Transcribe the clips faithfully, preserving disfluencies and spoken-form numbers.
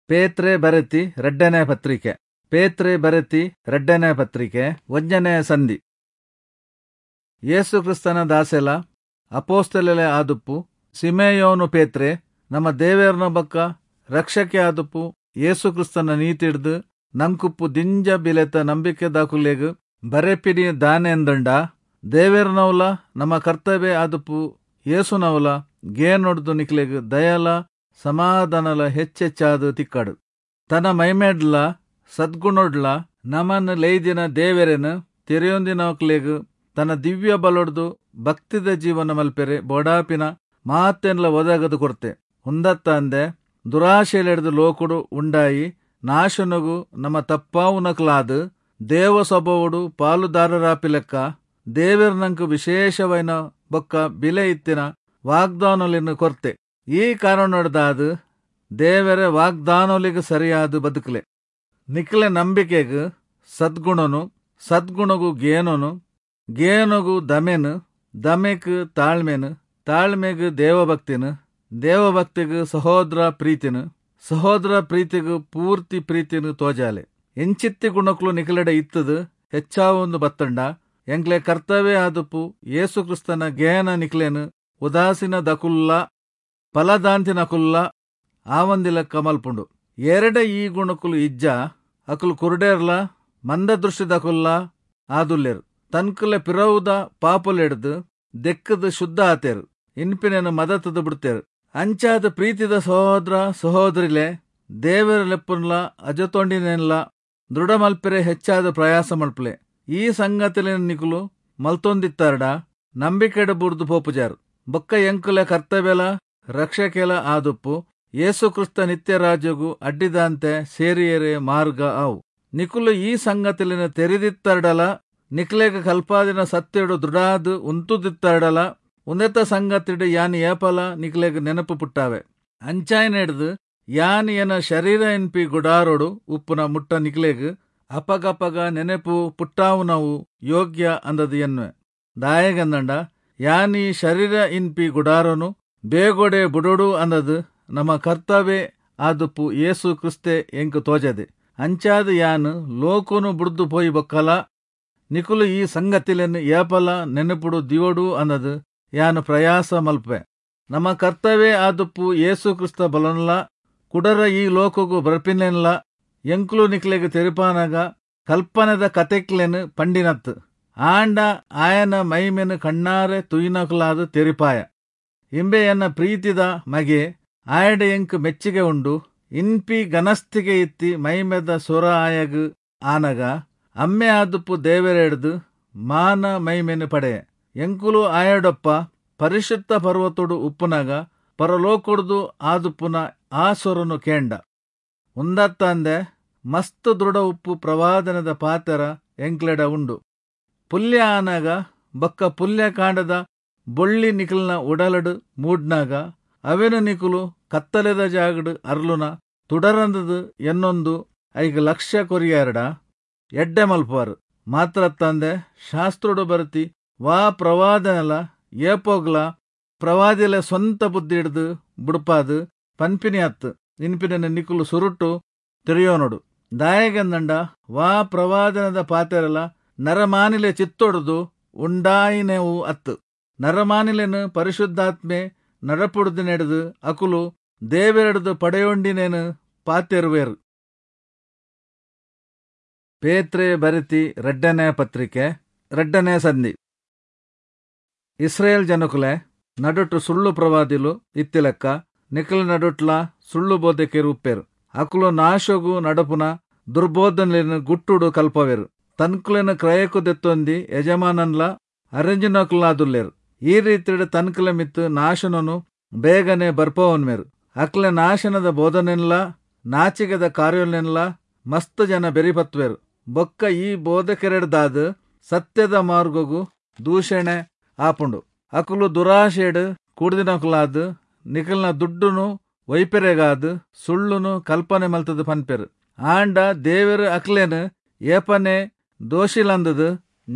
ಪೇತ್ರೆ ಬರೆತಿ ರಡ್ಡನೇ ಪತ್ರಿಕೆ. ಪೇತ್ರೆ ಬರೆತಿ ರಡ್ಡನೇ ಪತ್ರಿಕೆ ಒಂಜನೇ ಸಂಧಿ. ಯೇಸು ಕ್ರಿಸ್ತನ ದಾಸೆಲ ಅಪೋಸ್ತಲೆಲೆ ಆದುಪ್ಪು ಸಿಮೆಯೋನು ಪೇತ್ರೆ ನಮ್ಮ ದೇವೇರ್ನ ಬಕ್ಕ ರಕ್ಷಕೆ ಆದುಪ್ಪು ಯೇಸು ಕ್ರಿಸ್ತನ ನೀತಿಡ್ದು ನಂಕುಪ್ಪು ದಿಂಜ ಬಿಲೆತ ನಂಬಿಕೆ ದಾಕುಲೆಗ್ ಬರೆಪಿನಿ ದಾನೆಂದಂಡ ದೇವೇರ್ನವಲ ನಮ್ಮ ಕರ್ತವ್ಯ ಆದುಪ್ಪು ಯೇಸುನವಲ ಗೇನೊಡ್ದು ನಿಕ್ಲೆಗ್ ದಯಲ ಸಮಾಧಾನಲ ಹೆಚ್ಚೆಚ್ಚಾದು ತಿಕ್ಕಡು. ತನ್ನ ಮೈಮೇಡ್ಲ ಸದ್ಗುಣೊಡ್ಲ ನಮನ್ ಲೇಯ್ದಿನ ದೇವೆರೆನ್ ತೆರೆಯೊಂದಿನಕ್ಲೆಗ್ ತನ್ನ ದಿವ್ಯ ಬಲೊಡ್ದು ಭಕ್ತಿದ ಜೀವನ ಮಲ್ಪೆರೆ ಬೋಡಾಪಿನ ಮಾತೆನ್ಲ ಒದಗದು ಕೊರ್ತೆ. ಉಂದತ್ತಂದೆ ದುರಾಶೆಲೆಡ್ದು ಲೋಕುಡು ಉಂಡಾಯಿ ನಾಶನಗು ನಮ್ಮ ತಪ್ಪಾವುನಕ್ಲಾದ್ ದೇವ ಸ್ವಭಾವಡು ಪಾಲುದಾರರಾಪಿಲೆಕ್ಕ ದೇವೆರ್ ನಂಕು ವಿಶೇಷವೈನ ಬೊಕ್ಕ ಬಿಲೆ ಇತ್ತಿನ ವಾಗ್ದಾನೊಲಿನ ಕೊರ್ತೆ. ಈ ಕಾರಣೊಡ್ದಾದ್ ದೇವರ ವಾಗ್ದಾನೊಲಿಗೆ ಸರಿಯಾದ ಬದುಕಲೆ. ನಿಕ್ಲೆ ನಂಬಿಕೆಗ್ ಸದ್ಗುಣನು, ಸದ್ಗುಣಗು ಗೇನನು, ಗೇನಗು ದಮೆನು, ದಮೆಕ್ ತಾಳ್ಮೆನು, ತಾಳ್ಮೆಗ್ ದೇವಭಕ್ತಿನು, ದೇವಭಕ್ತಿಗ್ ಸಹೋದರ ಪ್ರೀತಿನು, ಸಹೋದರ ಪ್ರೀತಿಗ್ ಪೂರ್ತಿ ಪ್ರೀತಿನು ತೋಜಾಲೆ. ಎಂಚಿತ್ತಿ ಗುಣಕ್ಲು ನಿಕ್ಲೆಡೆ ಇತ್ತದು ಹೆಚ್ಚಾವೊಂದು ಬತ್ತಂಡ ಎಂಕ್ಲೆ ಕರ್ತವ್ಯ ಆದುಪ್ಪು ಯೇಸು ಕ್ರಿಸ್ತನ ಗೇನ ನಿಕ್ಲೇನು ಉದಾಸೀನ ದಕುಲ್ಲ ಫಲದಾಂತಿನಕುಲ್ಲ ಆವಂದಿಲ ಕಮಲ್ಪುಂಡು. ಎರಡೆ ಈ ಗುಣಕುಲು ಇಜ್ಜ ಅಕುಲು ಕುರುಡೇರ್ಲ ಮಂದದೃಷ್ಟಿದಕುಲ್ಲ ಆದುಲ್ಲೇರು. ತನ್ಕುಲೆ ಪಿರವುದ ಪಾಪುಲೆಡ್ದು ದೆಕ್ಕದು ಶುದ್ಧ ಆತೇರು, ಇನ್ಪಿನೇನು ಮದತದು ಬಿಡ್ತೇರು. ಅಂಚಾದ ಪ್ರೀತಿದ ಸಹೋದರ ಸಹೋದರಿಲೆ ದೇವರ ಲೆಪ್ಪುನ್ಲ ಅಜತೊಂಡಿನೇನ್ಲ ದೃಢ ಮಲ್ಪೆರೆ ಹೆಚ್ಚಾದ ಪ್ರಯಾಸ ಮಲ್ಪಲೆ. ಈ ಸಂಗತಿಲಿನ ನಿಕುಲು ಮಲ್ತೊಂದಿತ್ತಾರಡ ನಂಬಿಕೆಡ ಬುರ್ದು ಪೋಪುಜಾರು. ಬೊಕ್ಕ ಎಂಕುಲೆ ಕರ್ತವ್ಯಲ ರಕ್ಷಕೆಲ ಆದುಪ್ಪು ಯೇಸು ಕ್ರಿಸ್ತ ನಿತ್ಯ ರಾಜ್ಯಗು ಅಡ್ಡಿದಾಂತೆ ಸೇರಿಯರೆ ಮಾರ್ಗ ಆವು. ನಿಕುಲು ಈ ಸಂಗತಿಲಿನ ತೆರೆದಿತ್ತರಡಲ, ನಿಕ್ಲೆಗ ಕಲ್ಪಾದಿನ ಸತ್ಯಡು ದೃಢಾದ್ ಉಂತುದಿತ್ತರಡಲ ಉಂದೆತ ಸಂಗತಿಡು ಯಾನ್ ಏಪಲ ನಿಕ್ಲೆಗ್ ನೆನಪು ಪುಟ್ಟಾವೆ. ಅಂಚಾಯ್ನೆಡ್ದು ಯಾನ್ ಎನ ಶರೀರ ಎನ್ಪಿ ಗುಡಾರೋಡು ಉಪ್ಪುನ ಮುಟ್ಟ ನಿಕ್ಲೆಗ್ ಅಪಗಪಗ ನೆನಪು ಪುಟ್ಟಾವುನವು ಯೋಗ್ಯ ಅಂದದು ಎನ್ನುವೆ. ದಾಯೆಗಂದಂಡ ಯಾನ್ ಈ ಶರೀರ ಇನ್ಪಿ ಗುಡಾರೋನು ಬೇಗೊಡೆ ಬುಡೋಡು ಅಂದದು ನಮ್ಮ ಕರ್ತವ್ಯ ಆದುಪ್ಪು ಯೇಸು ಕ್ರಿಸ್ತೆ ಎಂಕು ತೋಜದೆ. ಅಂಚಾದ ಯಾನ್ ಲೋಕನು ಬುಡ್ದು ಪೋಯಿ ಬೊಕ್ಕಲ ನಿಕುಲು ಈ ಸಂಗತಿಲೆನ್ ಏಪಲ ನೆನಪುಡು ದಿವೋಡು ಅನ್ನದು ಯಾನ್ ಪ್ರಯಾಸ ಮಲ್ಪೆ. ನಮ್ಮ ಕರ್ತವ್ಯ ಆದುಪ್ಪು ಯೇಸು ಕ್ರಿಸ್ತ ಬಲನ್ಲ ಕುಡರ ಈ ಲೋಕಗು ಬರ್ಪಿನೆನ್ಲ ಎಂಕುಲು ನಿಕ್ಲೆಗ್ ತೆರಿಪಾನಾಗ ಕಲ್ಪನೆದ ಕತೆಕ್ಲೆನ್ ಪಂಡಿನತ್ತು. ಆಂಡ ಆಯನ ಮೈಮೆನು ಕಣ್ಣಾರೆ ತುಯಿನಕುಲಾದ ತೆರಿಪಾಯ. ಇಂಬೆ ಎನ್ನ ಪ್ರೀತಿದ ಮಗೆ, ಆಯಡ ಎಂಕ್ ಮೆಚ್ಚಿಗೆ ಉಂಡು. ಇನ್ಪಿ ಗನಸ್ತಿಗೆ ಇತ್ತಿ ಮೈಮೆದ ಸೊರ ಆಯಗ್ ಆನಗ ಅಮ್ಮೆ ಆದುಪ್ಪು ದೇವೆರೆಡ್ದು ಮಾನ ಮೈಮೆನು ಪಡೆಯ. ಎಂಕುಲು ಆಯಡೊಪ್ಪ ಪರಿಶುದ್ಧ ಪರ್ವತೊಡು ಉಪ್ಪುನಾಗ ಪರಲೋಕೊಡ್ದು ಆದುಪ್ಪುನ ಆ ಸೊರನು ಕೇಂಡ. ಉಂದತ್ತಂದೆ ಮಸ್ತ್ ದೃಢ ಉಪ್ಪು ಪ್ರವಾದನದ ಪಾತೆರ ಎಂಕ್ಲೆಡ ಉಂಡು. ಪುಲ್ಯ ಆನಾಗ ಬೊಕ್ಕ ಪುಲ್ಯ ಕಾಂಡದ ಬೊಳ್ಳಿ ನಿಕಲ್ನ ಉಡಲಡು ಮೂಡ್ನಾಗ ಅವೆನು ನಿಕುಲು ಕತ್ತಲೆದ ಜಾಗಡು ಅರ್ಲುನ ತುಡರಂದದು ಎನ್ನೊಂದು ಐಗ ಲಕ್ಷ್ಯ ಕೊರಿಯಾರಡ ಎಡ್ಡೆ ಮಲ್ಪುವಾರು. ಮಾತ್ರತ್ತಂದೆ ಶಾಸ್ತ್ರೋಡು ಬರತಿ ವಾ ಪ್ರವಾದನಲ ಏಪೋಗ್ಲ ಪ್ರವಾದಿಲೆ ಸ್ವಂತ ಬುದ್ಧಿ ಹಿಡ್ದು ಬುಡ್ಪಾದು ಪನ್ಪಿನಿ ಅತ್ತು ಇನ್ಪಿನ ನಿಕುಲು ಸುರುಟು ತೆರೆಯೋನೋಡು. ದಾಯೆಗಂದಂಡ ವಾ ಪ್ರವಾದನದ ಪಾತೆರಲ ನರಮಾನಿಲೆ ಚಿತ್ತೊಡ್ದು ಉಂಡಾಯಿನೆವು ಅತ್ತು. ನರಮಾನಿಲೆನು ಪರಿಶುದ್ಧಾತ್ಮೆ ನಡಪುಡ್ದು ನೆಡ್ದು ಅಕುಲು ದೇವೆರಡ್ದು ಪಡೆಯೊಂಡಿನೇನು ಪಾತೆರುವೇರು. ಪೇತ್ರೆ ಬರೆತಿ ರಡ್ಡನೇ ಪತ್ರಿಕೆ ರಡ್ಡನೇ ಸಂಧಿ. ಇಸ್ರೇಲ್ ಜನಕುಲೆ ನಡುಟು ಸುಳ್ಳು ಪ್ರವಾದಿಲು ಇತ್ತಿಲೆಕ್ಕ ನಿಕಲ ನಡುಟ್ಲ ಸುಳ್ಳು ಬೋಧಕೆರು ಉಪ್ಪೇರು. ಅಕುಲು ನಾಶಗು ನಡಪುನ ದುರ್ಬೋಧನೆಯನ್ನು ಗುಟ್ಟುಡು ಕಲ್ಪವೇರು. ತನ್ಕುಲೆನ ಕ್ರಯಕು ದೆತ್ತೊಂದಿ ಯಜಮಾನನ್ಲ ಅರೆಂಜಿನಕುಲಾದುಲ್ಲೇರು. ಈ ರೀತಿಯ ತನ್ಕುಲ ಮಿತ್ತು ನಾಶನನು ಬೇಗನೆ ಬರ್ಪವನ್ಮೇರು. ಅಕ್ಲೆ ನಾಶನದ ಬೋಧನೆನ್ಲ ನಾಚಿಕೆದ ಕಾರ್ಯನೆನ್ಲ ಮಸ್ತ್ ಜನ ಬೆರಿಪತ್ವೇರು. ಬೊಕ್ಕ ಈ ಬೋಧಕೆರೆಡ್ದಾದ ಸತ್ಯದ ಮಾರ್ಗಗು ದೂಷಣೆ ಆಪುಂಡು. ಅಕುಲು ದುರಾಶೆಡ್ ಕೂಡ್ದಿನಕುಲಾದ್ ನಿಕಲ್ನ ದುಡ್ಡುನು ವೈಪೆರೆಗಾದ್ ಸುಳ್ಳುನು ಕಲ್ಪನೆ ಮಲ್ತದ ಪನ್ಪೆರು. ಆಂಡ ದೇವರು ಅಕ್ಲೇನು ಏಪನೆ ದೋಷಿಲಂದದು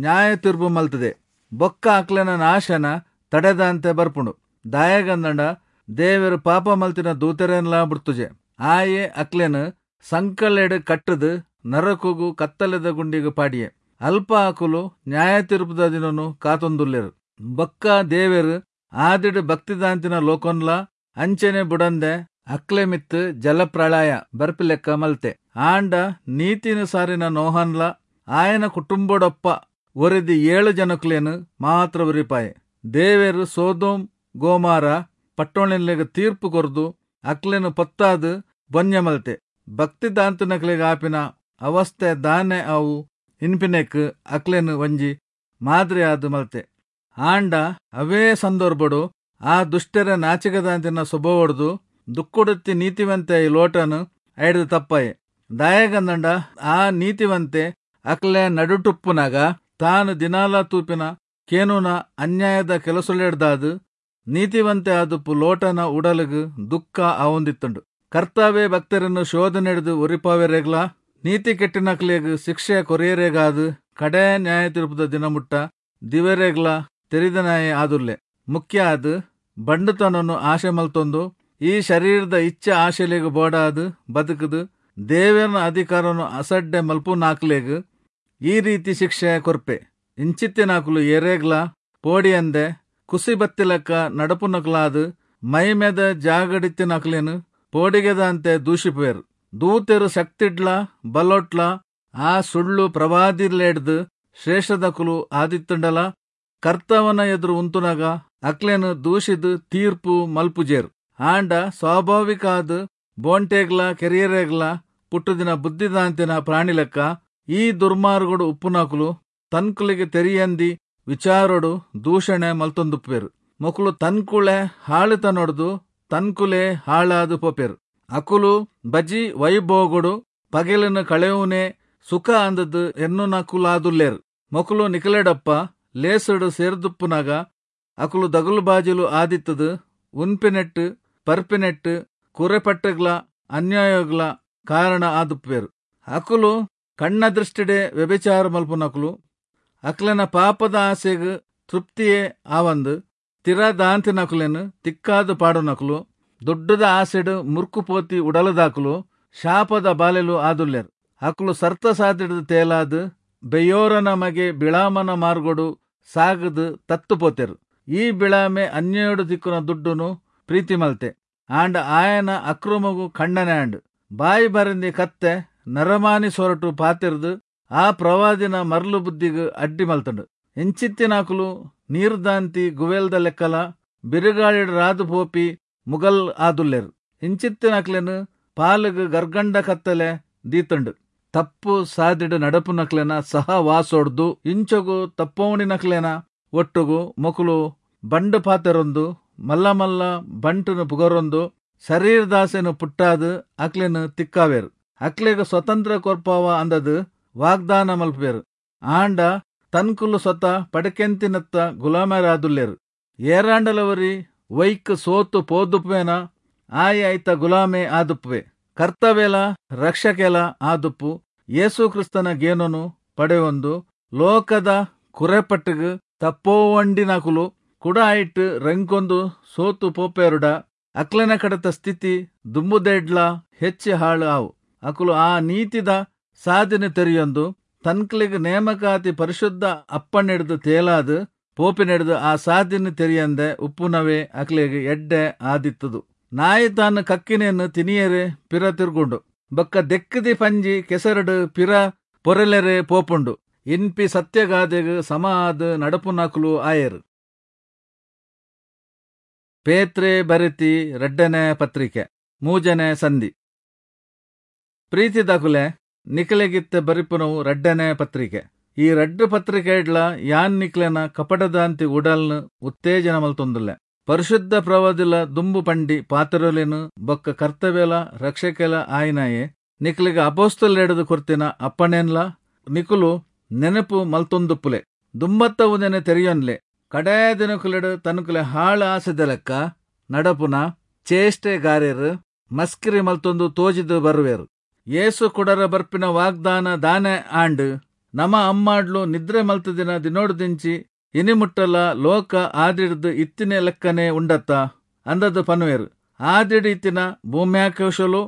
ನ್ಯಾಯ ತೀರ್ಪು ಮಲ್ತದೆ. ಬೊಕ್ಕ ಅಕ್ಲೆನ ನಾಶನ ತಡೆದಂತೆ ಬರ್ಪುಂಡು. ದಾಯಗಂದಂಡ ದೇವರು ಪಾಪ ಮಲ್ತಿನ ದೂತೆರೆನ್ಲಾ ಬುಡ್ತುಜೆ. ಆಯೆ ಅಕ್ಲೆನ್ ಸಂಕಲೆಡ್ ಕಟ್ಟುದು ನರಕುಗು ಕತ್ತಲೆದ ಗುಂಡಿಗೆ ಪಾಡಿಯೆ. ಅಲ್ಪ ಅಕುಲು ನ್ಯಾಯ ತೀರ್ಪುದ ದಿನೊನು ಕಾತೊಂದುಲ್ಲೆರ್. ಬೊಕ್ಕ ದೇವೆರ್ ಆದಿಡ್ ಭಕ್ತಿದಾಂತಿನ ಲೋಕೊನ್ಲಾ ಅಂಚನೆ ಬುಡಂದೆ ಅಕ್ಲೆ ಮಿತ್ತ್ ಜಲಪ್ರಳಯ ಬರ್ಪಿಲೆಕ್ಕ ಮಲ್ತೆ. ಆಂಡ ನೀತಿನ್ ಸಾರಿನ ನೋಹನ್ಲ ಆಯನ ಕುಟುಂಬೊಡೊಪ್ಪ ಒರಿದಿ ಏಳು ಜನಕ್ಲೆನ್ ಮಾತ್ರ ಒರಿಪಾಯೆ. ದೇವೆರ್ ಸೊದೋಮ್ ಗೊಮೋರ ಪಟ್ಟಣೊಲೆಗ್ ತೀರ್ಪು ಕೊರ್ದು ಅಕ್ಲೆನ್ ಪೊತ್ತಾದ್ ಬೊನ್ಯ ಮಲ್ತೆ. ಭಕ್ತಿದಾಂತಿನಕ್ಲೆಗ್ ಆಪಿನ ಅವಸ್ಥೆ ದಾನೆ ಅವು ಇನ್ಪಿನೆಕ್ ಅಕ್ಲೆನ್ ಒಂಜಿ ಮಾದರಿ ಆದ್ ಮಲ್ತೆ. ಆಂಡ ಅವೇ ಸಂದರ್ಭೊಡು ಆ ದುಷ್ಟೆರೆ ನಾಚಿಕೆದಾಂತಿನ ಸ್ವಭಾವೊಡ್ದು ದುಃಖೊಡುತ್ತಿ ನೀತಿವಂತೆ ಲೋಟನು ಐಡ್ದ್ ತಪ್ಪಾಯೆ. ದಾಯೆಗಂದ್ಂಡ ಆ ನೀತಿವಂತೆ ಅಕ್ಲೆ ನಡುಟುಪ್ಪುನಗ ತಾನು ದಿನಾಲ ತೂಪಿನ ಕೇನುನ ಅನ್ಯಾಯದ ಕೆಲಸೊಲೆಡ್ದಾದ್ ನೀತಿವಂತೆ ಆದುಪ್ಪು ಲೋಟನ ಉಡಲುಗು ದುಃಖ ಆವೊಂದಿತ್ತುಂಡು. ಕರ್ತಾವೆ ಭಕ್ತರನ್ನು ಶೋಧನೆಡ್ದು ಒರಿಪಾವೆರೆಗ್ಲಾ ನೀತಿ ಕೆಟ್ಟಿನಕ್ಲೆಗ್ ಶಿಕ್ಷೆ ಕೊರಿಯರೆಗಾದ್ ಕಡೆ ನ್ಯಾಯ ತೀರ್ಪುದ ದಿನ ಮುಟ್ಟ ದಿವೆರೆಗ್ಲಾ ತೆರಿದನಾಯೆ ಆದುಲ್ಲೆ. ಮುಖ್ಯ ಆದ್ ಬಂಡುತನೊನು ಆಶೆ ಮಲ್ತೊಂದು ಈ ಶರೀರದ ಇಚ್ಛೆ ಆಶೆಲೆಗ್ ಬೋಡಾದ್ ಬದುಕುದು ದೇವೆರ್ನ ಅಧಿಕಾರನು ಅಸಡ್ಡೆ ಮಲ್ಪುನಾಕ್ಲೆಗ್ ಈ ರೀತಿ ಶಿಕ್ಷೆ ಕೊರ್ಪೆ. ಇಂಚಿತ್ತಿನಾಕುಲು ಏರೆಗ್ಲಾ ಪೋಡಿಯಂದೆ ಕುಸಿ ಬತ್ತಿಲೆಕ್ಕ ನಡಪುನಕುಲಾದ್ ಮೈಮೆದ ಜಾಗಡಿತ್ತಿನಕ್ಲೆನ್ ಪೋಡಿಗೆದಾಂತೆ ದೂಷಿಪುವೆರ್. ದೂತೆರು ಶಕ್ತಿಡ್ಲಾ ಬಲೊಟ್ಲಾ ಆ ಸುಳ್ಳು ಪ್ರವಾದಿಲೆಡ್ದ್ ಶ್ರೇಷ್ಠದಕುಲು ಆದಿತ್ತುಂಡಲಾ ಕರ್ತವನ ಎದುರು ಉಂತುನಗ ಅಕ್ಲೆನ್ ದೂಷಿದ್ ತೀರ್ಪು ಮಲ್ಪುಜೆರ್. ಆಂಡ ಸ್ವಾಭಾವಿಕ ಆದ್ ಬೋಂಟೆಗ್ಲಾ ಕೆರಿಯರೆಗ್ಲಾ ಪುಟ್ಟುದಿನ ಬುದ್ಧಿದಾಂತಿನ ಪ್ರಾಣಿಲೆಕ್ಕ ಈ ದುರ್ಮಾರ್ಗೊಡು ಉಪ್ಪುನಕುಲು ತನ್ಕುಲೆಗ್ ತೆರಿಯಂದಿ ವಿಚಾರೊಡು ದೂಷಣೆ ಮಲ್ತೊಂದುಪ್ಪುವೆರ್. ಮೊಕುಲು ತನ್ಕುಳೆ ಹಾಳುತನೊಡ್ದು ತನ್ಕುಲೆ ಹಾಳಾದ್ ಪೋಪೆರ್. ಅಕುಲು ಬಜಿ ವೈಭೋಗೊಡು ಪಗೆಲನ್ನು ಕಳೆಯುವನೇ ಸುಖ ಅಂದದ್ ಎನ್ನುನಕುಲಾದುಲ್ಲೆರ್. ಮೊಕುಲು ನಿಕಲೆಡಪ್ಪ ಲೇಸುಡು ಸೇರ್ದುಪ್ಪುನಗ ಅಕುಲು ದಗುಲುಬಾಜಿಲು ಆದಿತ್ತದು ಉನ್ಪಿನೆಟ್ ಪರ್ಪಿನೆಟ್ ಕುರೆಪಟ್ಟುಗ್ಲ ಅನ್ಯಾಯಗ್ಲ ಕಾರಣ ಆದುಪ್ಪುವೆರ್. ಅಕುಲು ಕಣ್ಣ ದೃಷ್ಟಿಡೆ ವ್ಯಭಿಚಾರ ಮಲ್ಪುನಕುಲು. ಅಕ್ಲೆನ ಪಾಪದ ಆಸೆಗ್ ತೃಪ್ತಿಯೇ ಆವಂದು ತಿರದಾಂತಿನಕುಲೆನ್ ತಿಕ್ಕಾದು ಪಾಡುನಕುಲು, ದುಡ್ಡುದ ಆಸೆಡ್ ಮುರ್ಕುಪೋತಿ ಉಡಲದಾಕುಲು, ಶಾಪದ ಬಾಲೆಲು ಆದುಲ್ಲೆರ್. ಅಕುಲು ಸರ್ತ ಸಾದಿಡ್ದು ತೇಲಾದ್ ಬೆಯೋರನ ಮಗೆ ಬಿಳಾಮನ ಮಾರ್ಗೊಡು ಸಾಗದು ತತ್ತು ಪೋತೆರ್. ಈ ಬಿಳಾಮೆ ಅನ್ಯಾಯೊಡು ತಿಕ್ಕುನ ದುಡ್ಡುನು ಪ್ರೀತಿ ಮಲ್ತೆ. ಆಂಡ ಆಯನ ಅಕ್ರಮೊಗು ಖಂಡನೆ ಆಂಡ್. ಬಾಯಿ ಬರಂದಿ ಕತ್ತೆ ನರಮಾನಿ ಸೊರಟು ಪಾತೆರ್ದು ಆ ಪ್ರವಾದಿನ ಮರ್ಲು ಬುದ್ಧಿಗ್ ಅಡ್ಡಿ ಮಲ್ತಂಡು. ಇಂಚಿತ್ತಿನಾಕುಲು ನೀರ್ದಾಂತಿ ಗುವೆಲ್ದ ಲೆಕ್ಕಲ ಬಿರುಗಾಳಿಡ್ ರಾದು ಪೋಪಿ ಮುಗಲ್ ಆದುಲ್ಲೆರ್. ಇಂಚಿತ್ತಿನಕ್ಲೆನ್ ಪಾಲುಗು ಗರ್ಗಂಡ ಕತ್ತಲೆ ದೀತಂಡು. ತಪ್ಪು ಸಾದಿಡ್ ನಡಪುನಕ್ಲೆನ ಸಹವಾಸೊಡ್ದು ಇಂಚೊಗು ತಪ್ಪೋಣಿನಕ್ಲೆನ ಒಟ್ಟುಗು ಮೊಕುಲು ಬಂಡು ಪಾತೆರೊಂದು ಮಲ್ಲ ಮಲ್ಲ ಬಂಟುನು ಪುಗರೊಂದು ಶರೀರದಾಸೆನು ಪುಟ್ಟಾದ್ ಅಕ್ಲೆನ್ ತಿಕ್ಕಾವೆರ್. ಅಕ್ಲೆಗ್ ಸ್ವತಂತ್ರ ಕೊರ್ಪಾವ ಅಂದದ್ ವಾಗ್ದಾನ ಮಲ್ಪುವೆರ್. ಆಂಡ ತನ್ಕುಲು ಸ್ವತಃ ಪಡಕೆಂತಿನತ್ತ ಗುಲಾಮರಾದುಲ್ಲೆರ್. ಏರಾಂಡಲವರಿ ವೈಕ್ ಸೋತು ಪೋದುಪ್ಪುವೆನ ಆಯೆ ಐತ ಗುಲಾಮೆ ಆದುಪ್ಪುವೆ. ಕರ್ತವೆಲ ರಕ್ಷಕೆಲ ಆದುಪ್ಪು ಯೇಸು ಕ್ರಿಸ್ತನ ಗೇನೊನು ಪಡೆಯೊಂದು ಲೋಕದ ಕುರೆಪಟ್ಟುಗು ತಪ್ಪೋವಂಡಿನಕುಲು ಕುಡ ಐಟ್ ರಂಕೊಂದು ಸೋತು ಪೋಪೇರುಡ ಅಕ್ಲೆನ ಕಡತ ಸ್ಥಿತಿ ದುಂಬುದೆಡ್ಲ ಹೆಚ್ಚಿ ಹಾಳು ಆವು. ಅಕುಲು ಆ ನೀತಿದ ಸಾಧನೆ ತೆರಿಯೊಂದು ತನ್ಕುಲೆಗ್ ನೇಮಕಾತಿ ಪರಿಶುದ್ಧ ಅಪ್ಪಣೆಡ್ದು ತೇಲಾದ್ ಪೋಪಿನೆಡ್ದು ಆ ಸಾಧನೆ ತೆರಿಯಂದೆ ಉಪ್ಪುನವೇ ಅಕ್ಲೆಗ್ ಎಡ್ಡೆ ಆದಿತ್ತದು. ನಾಯಿ ತಾನು ಕಕ್ಕಿನೆಯನ್ನು ತಿನಿಯರೆ ಪಿರ ತಿರ್ಗುಂಡು, ಬೊಕ್ಕ ದೆಕ್ಕದಿ ಪಂಜಿ ಕೆಸರಡು ಪಿರ ಪೊರೆಲೆರೆ ಪೋಪುಂಡು. ಇನ್ಪಿ ಸತ್ಯಗಾದೆಗ್ ಸಮ ಆದ್ ನಡಪುನಕುಲು ಆಯೆರ್. ಪೇತ್ರೆ ಬರೆತಿ ರಡ್ಡನೆ ಪತ್ರಿಕೆ ಮೂಜನೆ ಸಂಧಿ. ಪ್ರೀತಿದಕುಲೆ, ನಿಕಲೆಗಿತ್ತ ಬರಿಪುನವು ರಡ್ಡನೆ ಪತ್ರಿಕೆ. ಈ ರಡ್ಡು ಪತ್ರಿಕೆಡ್ಲ ಯಾನ್ ನಿಕ್ಲೆನ ಕಪಟದಾಂತಿ ಉಡಲ್ನು ಉತ್ತೇಜನ ಮಲ್ತೊಂದುಲ್ಲೆ. ಪರಿಶುದ್ಧ ಪ್ರವಾದಿಲ ದುಂಬು ಪಂಡಿ ಪಾತ್ರೊಲೆನು ಬೊಕ್ಕ ಕರ್ತವ್ಯಲ ರಕ್ಷಕೆಲ ಆಯಿನಾಯೆ ನಿಕ್ಲೆಗ್ ಅಪೊಸ್ತಲೆಡ್ದ್ ಕೊರ್ತಿನ ಅಪ್ಪಣೆನ್ಲ ನಿಕುಲು ನೆನಪು ಮಲ್ತೊಂದುಪ್ಪುಲೆ. ದುಂಬತ್ತ ಉಂದೆನೆ ತೆರಿಯೊನ್ಲೆ. ಕಡೇ ದಿನಕುಲೆಡ್ ತನ್ಕುಲೆ ಹಾಳು ಆಸೆದ ಲೆಕ್ಕ ನಡಪುನ ಚೇಷ್ಟೆಗಾರೆರ್ ಮಸ್ಕಿರಿ ಮಲ್ತೊಂದು ತೋಜಿದ್ ಬರುವೆರ್. ಯೇಸು ಕುಡರ ಬರ್ಪಿನ ವಾಗ್ದಾನ ದಾನೆ ಆಂಡ್. ನಮ ಅಮ್ಮಾಡ್ಲು ನಿದ್ರೆ ಮಲ್ತದಿನ ದಿನೋಡ್ದಿಂಚಿ ಇನಿ ಮುಟ್ಟಲ ಲೋಕ ಆದಿಡ್ದು ಇತ್ತಿನ ಲೆಕ್ಕನೆ ಉಂಡತ್ತ ಅಂದದ್ ಪನುವೆರ್. ಆದಿಡ್ ಇತ್ತಿನ ಭೂಮ್ಯಾಕೋಶಲು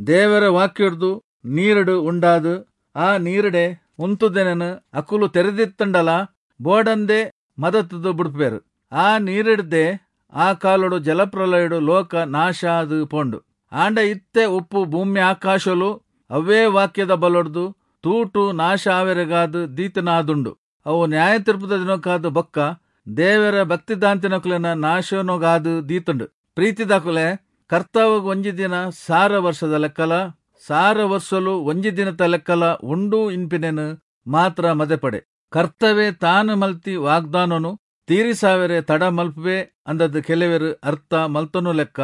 ದೇವರ ವಾಕ್ಯೊಡ್ದು ನೀರುಡು ಉಂಡಾದು ಆ ನೀರುಡೆ ಉಂತುದೆನನು ಅಕುಲು ತೆರೆದಿತ್ತಂಡಲ ಬೋಡಂದೆ ಮದತುದು ಬುಡ್ಪೇರು. ಆ ನೀರಿಡ್ದೆ ಆ ಕಾಲೊಡು ಜಲಪ್ರಲಯಡು ಲೋಕ ನಾಶ ಆದು ಪೋಂಡು. ಆಂಡ ಇತ್ತೆ ಉಪ್ಪು ಭೂಮಿ ಆಕಾಶಲು ಅವೇ ವಾಕ್ಯದ ಬಲೊಡ್ದು ತೂಟು ನಾಶ ಆವೆರೆಗಾದು ದೀತನಾದುಂಡು. ಅವು ನ್ಯಾಯ ತೀರ್ಪುದ ದಿನಕ್ಕಾದು ಬೊಕ್ಕ ದೇವರ ಭಕ್ತಿದಾಂತಿನಕುಲೆನ ನಾಶನೊಗಾದು ದೀತುಂಡು. ಪ್ರೀತಿದಾಕುಲೆ, ಕರ್ತವಗ್ ಒಂಜಿ ದಿನ ಸಾರ ವರ್ಷದ ಲೆಕ್ಕಲ, ಸಾರ ವರ್ಷಲು ಒಂಜಿ ದಿನತ ಲೆಕ್ಕಲ ಉಂಡು ಇನ್ಪಿನೆನು ಮಾತ್ರ ಮದೆಪಡೆ. ಕರ್ತವೆ ತಾನು ಮಲ್ತಿ ವಾಗ್ದಾನನು ತೀರಿಸಾವೆರೆ ತಡ ಮಲ್ಪುವೆ ಅಂದದ್ ಕೆಲವೆರು ಅರ್ಥ ಮಲ್ತನು ಲೆಕ್ಕ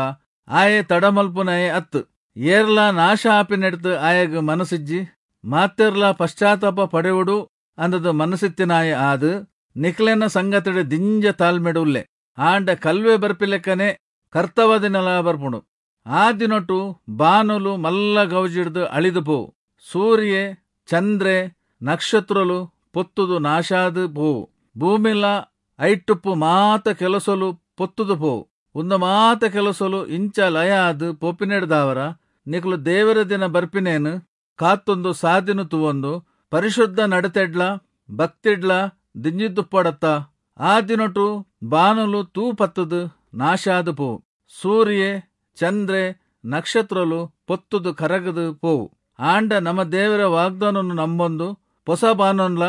ಆಯೆ ತಡ ಮಲ್ಪುನಯೆ ಅತ್ತು. ಏರ್ಲಾ ನಾಶ ಆಪಿನೆಡ್ತು ಆಯಗ್ ಮನಸಿಜ್ಜಿ, ಮಾತೆರ್ಲಾ ಪಶ್ಚಾತ್ತಾಪ ಪಡೆವುಡು ಅಂದದ್ ಮನಸಿತ್ತಿನಾಯೆ ಆದು ನಿಕ್ಲೆನ ಸಂಗತಿಡೆ ದಿಂಜ ತಾಳ್ಮೆಡು ಉಲ್ಲೆ. ಆಂಡ ಕಲ್ವೆ ಬರ್ಪಿಲೆಕ್ಕನೆ ಕರ್ತವ ದಿನಲ ಬರ್ಪುಂಡು. ಆ ದಿನೊಟು ಬಾನುಲು ಮಲ್ಲ ಗೌಜಿಡ್ದು ಅಳಿದು ಪೋವು, ಸೂರ್ಯೆ ಚಂದ್ರೆ ನಕ್ಷತ್ರಲು ಪೊತ್ತುದು ನಾಶಾದು ಪೋವು, ಭೂಮಿಲ ಐಟುಪ್ಪು ಮಾತ ಕೆಲಸಲು ಪೊತ್ತುದು ಪೋವು. ಉಂದ ಮಾತ ಕೆಲಸಲು ಇಂಚ ಲಯ ಆದು ಪೋಪಿನೆಡ್ದಾವರ ನಿಕ್ಲು ದೇವರ ದಿನ ಬರ್ಪಿನೇನು ಕಾತ್ತೊಂದು ಸಾದಿನು ತುವೊಂದು ಪರಿಶುದ್ಧ ನಡತೆಡ್ಲ ಭಕ್ತಿಡ್ಲ ದಿಂಜಿದ್ದುಪ್ಪಡತ್ತ. ಆ ದಿನೊಟು ಬಾನುಲು ತೂ ಪತ್ತುದು ನಾಶಾದು ಪೋವು, ಸೂರ್ಯೆ ಚಂದ್ರೆ ನಕ್ಷತ್ರಲು ಪೊತ್ತುದು ಕರಗದು ಪೋವು. ಆಂಡ ನಮ್ಮ ದೇವರ ವಾಗ್ದಾನನ್ನು ನಂಬೊಂದು ಹೊಸ ಬಾನೊನ್ಲ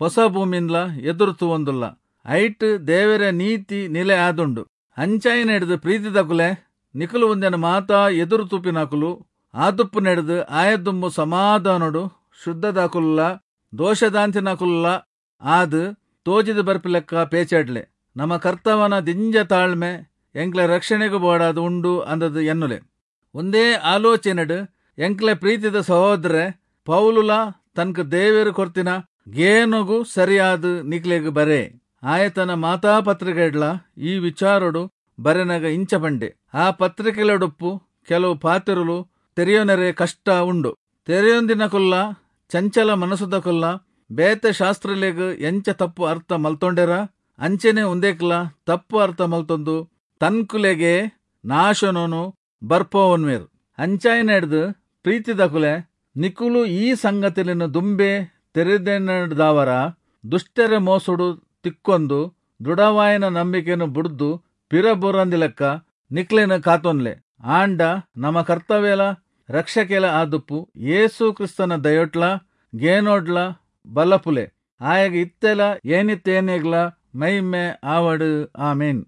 ಹೊಸ ಭೂಮಿನ್ಲ ಎದುರು ತುವೊಂದುಲ್ಲ. ಐಟ್ ದೇವರ ನೀತಿ ನಿಲೆ ಆದುಂಡು. ಅಂಚಾಯಿ ನೆಡ್ದು ಪ್ರೀತಿದಕುಲೆ, ನಿಕುಲು ಒಂದೆನ ಮಾತಾ ಎದುರು ತೂಪಿನಕುಲು ಆದುಪ್ಪು ನೆಡ್ದು ಆಯದುಂಬು ಸಮಾಧಾನೊಡು ಶುದ್ಧದಾಕುಲ್ಲ ದೋಷದಾಂತಿನಕುಲ್ಲ ಆದು ತೋಜಿದು ಬರ್ಪಿಲೆಕ್ಕ ಪೇಚಾಡ್ಲೆ. ನಮ್ಮ ಕರ್ತವನ ದಿಂಜ ತಾಳ್ಮೆ ಎಂಕ್ಲೆ ರಕ್ಷಣೆಗೂ ಬೋಡಾದು ಉಂಡು ಅಂದದು ಎನ್ನುಲೆ. ಒಂದೇ ಆಲೋಚನೆಡು ಎಂಕ್ಲೆ ಪ್ರೀತಿದ ಸಹೋದರ ಪೌಲುಲ ತನ್ಕ ದೇವೇರು ಕೊರ್ತಿನ ಗೇನುಗು ಸರಿಯಾದ ನಿಕ್ಲೆಗ್ ಬರೆ. ಆಯತನ ಮಾತಾ ಪತ್ರಿಕೆಡ್ಲ ಈ ವಿಚಾರಡು ಬರೆನಗ ಇಂಚ ಪಂಡೆ. ಆ ಪತ್ರಿಕೆಲೊಡುಪ್ಪು ಕೆಲವು ಪಾತಿರುಲು ತೆರೆಯೋನರೆ ಕಷ್ಟ ಉಂಡು. ತೆರೆಯೊಂದಿನ ಕೊಲ್ಲ ಚಂಚಲ ಮನಸ್ಸುದ ಕೊಲ್ಲ ಬೇತೆ ಶಾಸ್ತ್ರಲೆಗ್ ಎಂಚ ತಪ್ಪು ಅರ್ಥ ಮಲ್ತೊಂಡೆರ ಅಂಚೆನೆ ಉಂದೇಕ್ಲ ತಪ್ಪು ಅರ್ಥ ಮಲ್ತೊಂದು ತನ್ಕುಲೆಗೆ ನಾಶನೋನು ಬರ್ಪೋವನ್ವೇರು. ಅಂಚಾಯಿನೆಡ್ದು ಪ್ರೀತಿದಕುಲೆ, ನಿಕುಲು ಈ ಸಂಗತಿలను ದುಂಬೆ ತೆರೆದೆನಡ್ದಾವರ ದುಷ್ಟರ ಮೋಸುಡು ತಿಕ್ಕೊಂದು ದೃಢವಾಯನ ನಂಬಿಕೆಯನ್ನು ಬುಡ್ದು ಪಿರಬೊರಂದಿಲೆಕ್ಕ ನಿಕ್ಲೆನ ಕಾತೊನ್ಲೆ. ಆಂಡ ನಮ ಕರ್ತವ್ಯಲ ರಕ್ಷಕೆಲ ಆದುಪ್ಪು ಯೇಸು ಕ್ರಿಸ್ತನ ದಯೊಟ್ಲ ಗೇನೋಡ್ಲ ಬಲಪುಲೆ. ಆಯಗ ಇತ್ತೆಲ ಏನಿತ್ತೇನೆಗ್ಲ ಮೈಮೆ ಆವಡು. ಆಮೇನ್.